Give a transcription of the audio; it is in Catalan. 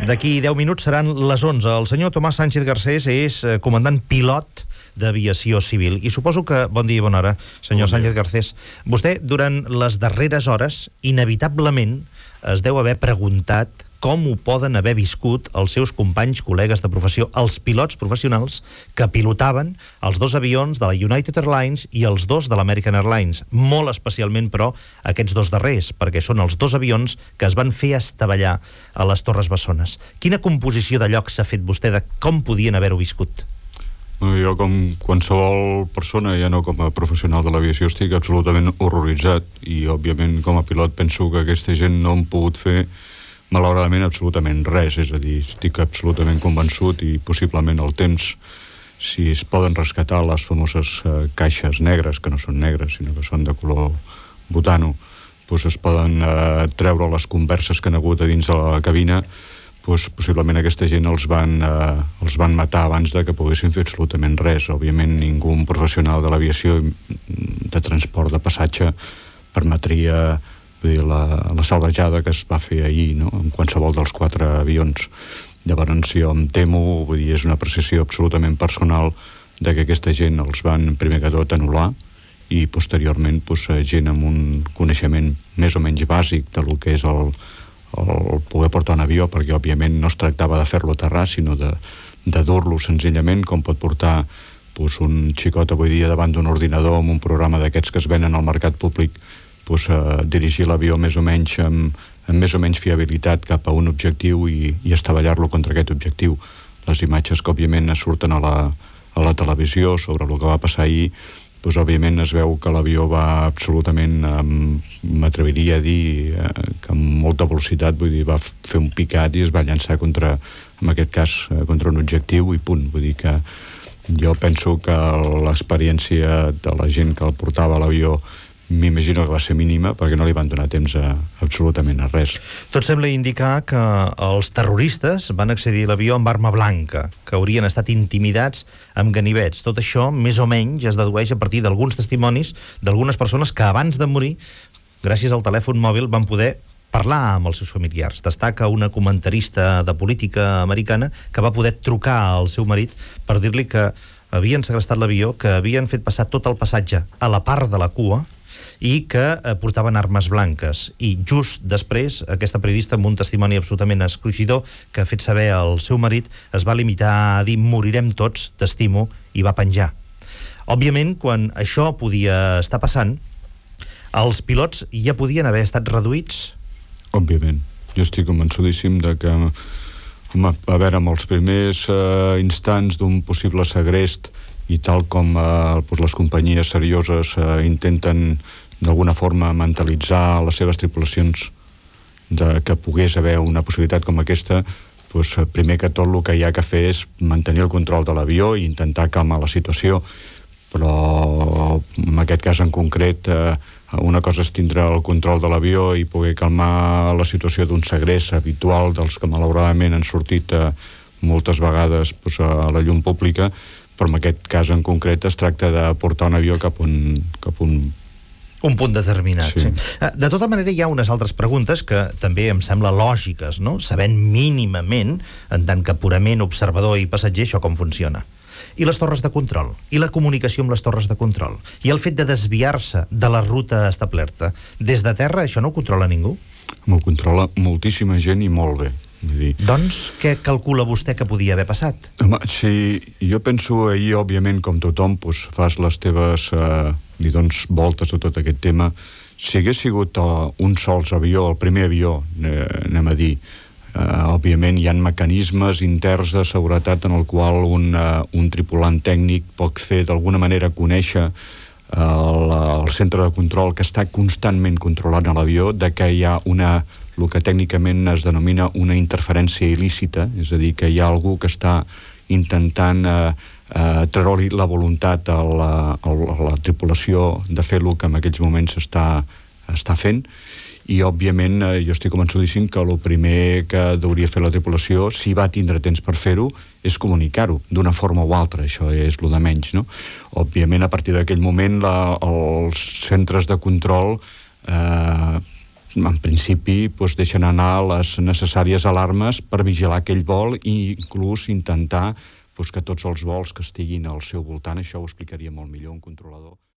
D'aquí 10 minuts seran les 11. El senyor Tomàs Sánchez Garcés és comandant pilot d'aviació civil. I suposo que... Bon dia i bona hora, senyor Sánchez Garcés. Vostè, durant les darreres hores, inevitablement es deu haver preguntat com ho poden haver viscut els seus companys, col·legues de professió, els pilots professionals que pilotaven els dos avions de la United Airlines i els dos de l'American Airlines. Molt especialment, però, aquests dos darrers, perquè són els dos avions que es van fer estavellar a les Torres Bessones. Quina composició de lloc s'ha fet vostè de com podien haver-ho viscut? Jo, com qualsevol persona, ja no com a professional de l'aviació, estic absolutament horroritzat i, òbviament, com a pilot penso que aquesta gent no han pogut fer malauradament absolutament res, és a dir, estic absolutament convençut i possiblement el temps, si es poden rescatar les famoses caixes negres, que no són negres sinó que són de color butano, doncs es poden treure les converses que han hagut a dins de la cabina, doncs possiblement aquesta gent els van matar abans de que poguessin fer absolutament res. Òbviament ningú professional de l'aviació de transport de passatge permetria la salvatjada que es va fer ahir, no?, en qualsevol dels 4 avions. Llavors jo em temo, vull dir, és una apreciació absolutament personal de que aquesta gent els van, primer que tot, anul·lar i posteriorment gent amb un coneixement més o menys bàsic de lo que és el poder portar un avió, perquè òbviament no es tractava de fer-lo aterrar, sinó de dur-lo senzillament, com pot portar un xicot avui dia davant d'un ordinador amb un programa d'aquests que es venen al mercat públic, dirigir l'avió més o menys amb més o menys fiabilitat cap a un objectiu i estavellar-lo contra aquest objectiu. Les imatges que òbviament surten a la televisió sobre el que va passar ahir, òbviament es veu que l'avió va absolutament, m'atreviria a dir que amb molta velocitat, vull dir, va fer un picat i es va llançar contra, en aquest cas, contra un objectiu i punt. Vull dir que jo penso que l'experiència de la gent que el portava a l'avió m'imagino que va ser mínima, perquè no li van donar temps absolutament a res. Tot sembla indicar que els terroristes van accedir a l'avió amb arma blanca, que haurien estat intimidats amb ganivets. Tot això, més o menys, es dedueix a partir d'alguns testimonis d'algunes persones que abans de morir, gràcies al telèfon mòbil, van poder parlar amb els seus familiars. Destaca una comentarista de política americana que va poder trucar al seu marit per dir-li que havien segrestat l'avió, que havien fet passar tot el passatge a la part de la cua i que portaven armes blanques. I just després, aquesta periodista, amb un testimoni absolutament escruixidor que ha fet saber al seu marit, es va limitar a dir morirem tots, t'estimo, i va penjar. Òbviament, quan això podia estar passant, els pilots ja podien haver estat reduïts? Òbviament. Jo estic convençudíssim de que, a veure, amb els primers instants d'un possible segrest i tal com les companyies serioses intenten d'alguna forma mentalitzar les seves tripulacions que pogués haver una possibilitat com aquesta, primer que tot el que hi ha que fer és mantenir el control de l'avió i intentar calmar la situació, però en aquest cas en concret una cosa és tindre el control de l'avió i poder calmar la situació d'un segrest habitual dels que malauradament han sortit moltes vegades a la llum pública, però en aquest cas en concret es tracta de portar un avió cap a un punt determinat. Sí. De tota manera, hi ha unes altres preguntes que també em sembla lògiques, no? Sabent mínimament, en tant que purament observador i passatger, això com funciona. I les torres de control? I la comunicació amb les torres de control? I el fet de desviar-se de la ruta establerta? Des de terra, això no ho controla ningú? M'ho controla moltíssima gent i molt bé. Doncs què calcula vostè que podia haver passat? Home, si jo penso ahir, òbviament, com tothom, fas les teves li dones voltes a tot aquest tema. Si hagués sigut un sols avió, el primer avió, anem a dir, òbviament hi ha mecanismes interns de seguretat en el qual un tripulant tècnic pot fer d'alguna manera conèixer el centre de control que està constantment controlant l'avió de que hi ha el que tècnicament es denomina una interferència il·lícita, és a dir, que hi ha algú que està intentant treure-li la voluntat a la tripulació de fer el que en aquells moments està fent, i òbviament jo estic convençudíssim que el primer que hauria fer la tripulació, si va tindre temps per fer-ho, és comunicar-ho d'una forma o altra. Això és el de menys, no? Òbviament, a partir d'aquell moment els centres de control en principi deixen anar les necessàries alarmes per vigilar aquell vol i inclús intentar que tots els vols que estiguin al seu voltant, això ho explicaria molt millor un controlador,